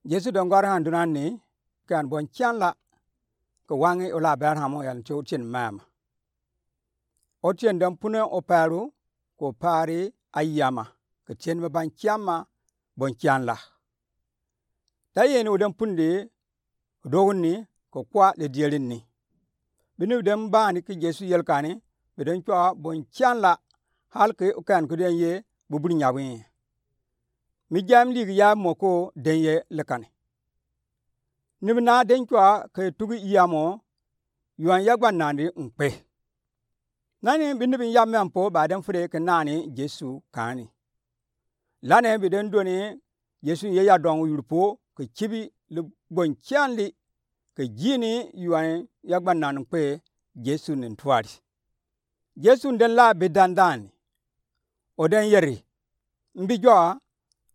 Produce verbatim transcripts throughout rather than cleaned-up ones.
Jesu den gɔr han dunani, kɛ an bon kyanla, kɛ wangi ola Abraham o yal ti otien mama. Otien den pune opɛru, kɛ opɛri ayama, kɛ tien mi ban kyama, bon kyanla. Dayeni oden pundi, dogni, kɛ kwa le dierini. Bini den bani kɛ Jesu yelkani, bi den kyɔa bon kyanla, hal kɛ okan kɛ den ye, bubur nyabwi. Mi jam ligi ya moko den ye lekani. Ni bi na den kyɔa kɛ tugi yamo, yuan yagba nandi nkpe. Nani bi ni bi yam mɛmpo ba den fure kɛ nani Jesu kani. Lani bi den doni Jesu ye yadɔŋ yurpo kɛ kibi li bon kyanli kɛ jini yuan yagba nandi nkpe Jesu ni tuari. Jesu den la bi dandani. Oden yeri. Mbi jɔa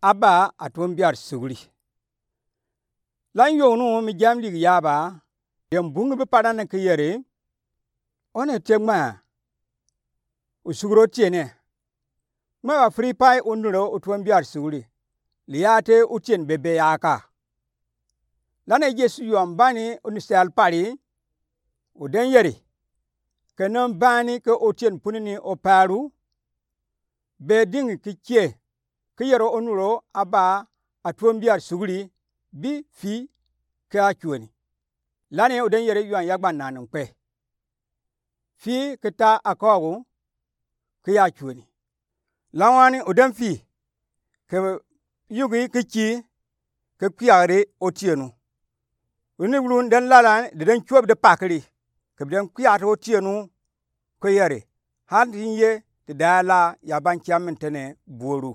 aba atuon biar suguri. Lan yognu mi jam ligi yaba, den bungi bi padan kɛ yeri, one te ŋmaa, osuguro tiene. Ŋmaa ba Filipai onuro otuon biar suguri, liate otien bebe yaka. Lane Jesu yuan bani oni sɛl pari, oden yeri, kɛ nan bani kɛ otien punini opɛru, be dingi kɛ kie, kɛ yɛro onuro aba atuon biar suguri, bi fii kɛ akyuoni. Lani oden yeri yuan yagba nandi nkpe. Fii kɛ ta akɔgu kɛ akyuoni. Lawani oden fii kɛ yugi kɛ kii kɛ kwiari otienu. Oni wulun den lalan de den kyuobi de pakiri. Kɛ bi den kwiari otienu kɛ yeri. Hal ti ye ti dala ya ban kyam min tene buoru.